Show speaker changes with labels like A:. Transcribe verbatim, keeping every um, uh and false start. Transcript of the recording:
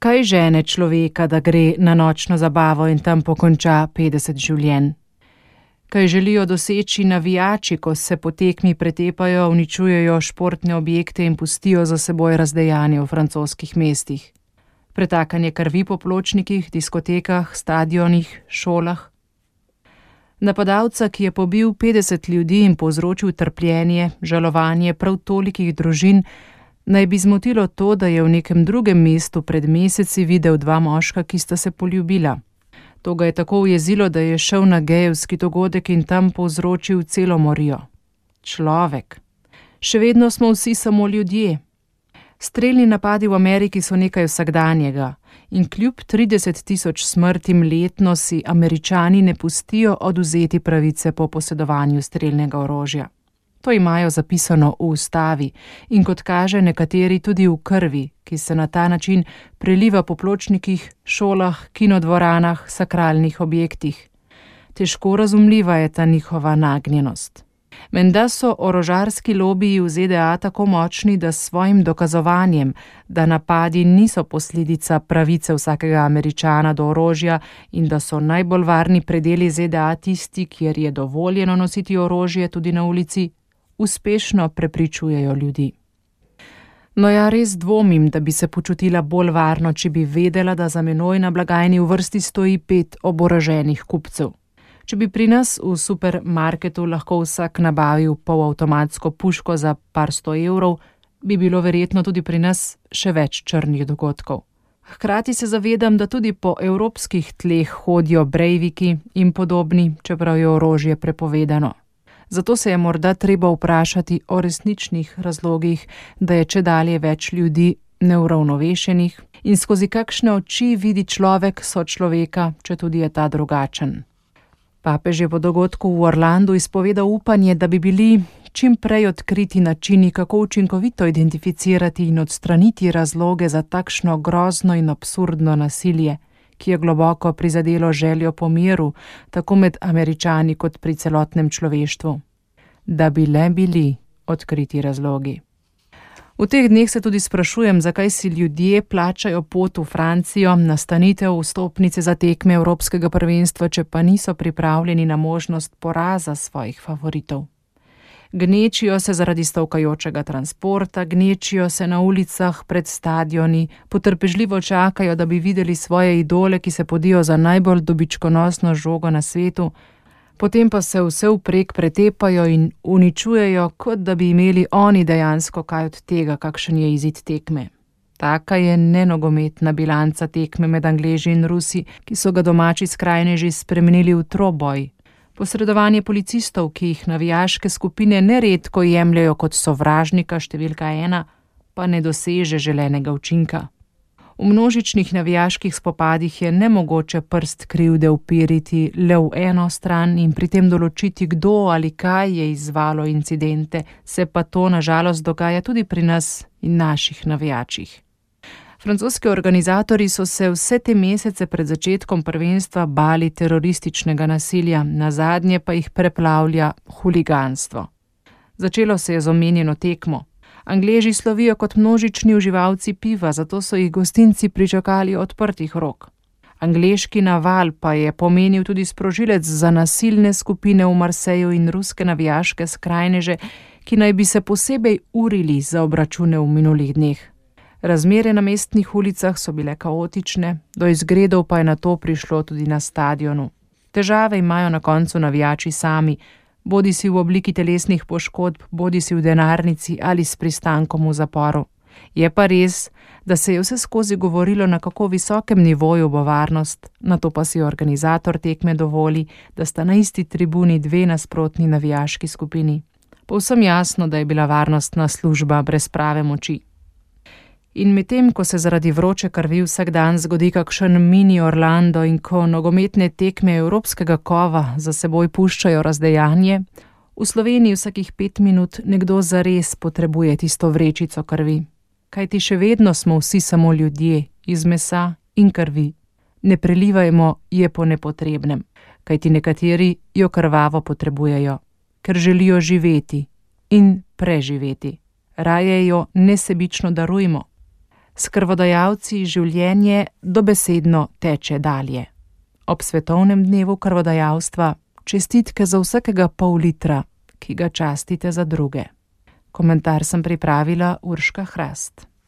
A: Kaj žene človeka, da gre na nočno zabavo in tam pokonča petdeset življenj? Kaj želijo doseči navijači, ko se po tekmi pretepajo, uničujejo športne objekte in pustijo za seboj razdejanje v francoskih mestih? Pretakanje krvi po pločnikih, diskotekah, stadionih, šolah? Napadalca, ki je pobil petdeset ljudi in povzročil trpljenje, žalovanje prav tolikih družin, naj bi zmotilo to, da je v nekem drugem mestu pred meseci videl dva moška, ki sta se poljubila. To ga je tako ujezilo, da je šel na gejevski dogodek in tam povzročil celo morijo. Človek. Še vedno smo vsi samo ljudje. Strelni napadi v Ameriki so nekaj vsakdanjega in kljub trideset tisoč smrtim letno si Američani ne pustijo odvzeti pravice po posedovanju strelnega orožja. To imajo zapisano v ustavi in kot kaže nekateri tudi v krvi, ki se na ta način preliva po pločnikih, šolah, kinodvoranah, sakralnih objektih. Težko razumljiva je ta njihova nagnjenost. Menda so orožarski lobiji v Z D A tako močni, da s svojim dokazovanjem, da napadi niso posledica pravice vsakega Američana do orožja in da so najbolj varni predeli Z D A tisti, kjer je dovoljeno nositi orožje tudi na ulici, uspešno prepričujejo ljudi. No ja, res dvomim, da bi se počutila bolj varno, če bi vedela, da za menoj na blagajni v vrsti stoji pet oboroženih kupcev. Če bi pri nas v supermarketu lahko vsak nabavil polavtomatsko puško za par sto evrov, bi bilo verjetno tudi pri nas še več črnih dogodkov. Hkrati se zavedam, da tudi po evropskih tleh hodijo brejviki in podobni, čeprav je orožje prepovedano. Zato se je morda treba vprašati o resničnih razlogih, da je čedalje več ljudi neuravnovešenih in skozi kakšne oči vidi človek sočloveka, če tudi je ta drugačen. Papež je po dogodku v Orlandu izpovedal upanje, da bi bili čim prej odkriti načini, kako učinkovito identificirati in odstraniti razloge za takšno grozno in absurdno nasilje, ki je globoko prizadelo željo po miru, tako med Američani kot pri celotnem človeštvu. Da bi le bili odkriti razlogi. V teh dneh se tudi sprašujem, zakaj si ljudje plačajo pot v Francijo, nastanitev vstopnice za tekme Evropskega prvenstva, če pa niso pripravljeni na možnost poraza svojih favoritov. Gnečijo se zaradi stavkajočega transporta, gnečijo se na ulicah pred stadioni, potrpežljivo čakajo, da bi videli svoje idole, ki se podijo za najbolj dobičkonosno žogo na svetu, potem pa se vse vprek pretepajo in uničujejo, kot da bi imeli oni dejansko kaj od tega, kakšen je izid tekme. Taka je nenogometna bilanca tekme med Angleži in Rusi, ki so ga domači skrajneži spremenili v troboj. Posredovanje policistov, ki jih navijaške skupine neredko jemljajo kot sovražnika številka ena, pa ne doseže želenega učinka. V množičnih navijaških spopadih je nemogoče prst krivde upiriti le v eno stran in pri tem določiti, kdo ali kaj je izzvalo incidente, se pa to nažalost dogaja tudi pri nas in naših navijačih. Francoski organizatorji so se vse te mesece pred začetkom prvenstva bali terorističnega nasilja, nazadnje pa jih preplavlja huliganstvo. Začelo se je z omenjeno tekmo. Angleži slovijo kot množični uživalci piva, zato so jih gostinci pričakali odprtih rok. Angleški naval pa je pomenil tudi sprožilec za nasilne skupine v Marseju in ruske navijaške skrajneže, ki naj bi se posebej urili za obračune v minulih dneh. Razmere na mestnih ulicah so bile kaotične, do izgredov pa je nato prišlo tudi na stadionu. Težave imajo na koncu navijači sami, bodi si v obliki telesnih poškodb, bodi si v denarnici ali s pristankom v zaporu. Je pa res, da se je vse skozi govorilo, na kako visokem nivoju bo varnost, nato pa si organizator tekme dovoli, da sta na isti tribuni dve nasprotni navijaški skupini. Povsem jasno, da je bila varnostna služba brez prave moči. In medtem, ko se zaradi vroče krvi vsak dan zgodi kakšen mini Orlando in ko nogometne tekme evropskega kova za seboj puščajo razdejanje, v Sloveniji vsakih pet minut nekdo zares potrebuje tisto vrečico krvi. Kajti še vedno smo vsi samo ljudje, iz mesa in krvi. Ne prelivajmo je po nepotrebnem, kajti nekateri jo krvavo potrebujejo, ker želijo živeti in preživeti. Raje jo nesebično darujmo. S krvodajalci življenje dobesedno teče dalje. Ob svetovnem dnevu krvodajalstva čestitke za vsakega pol litra, ki ga častite za druge. Komentar sem pripravila Urška Hrast.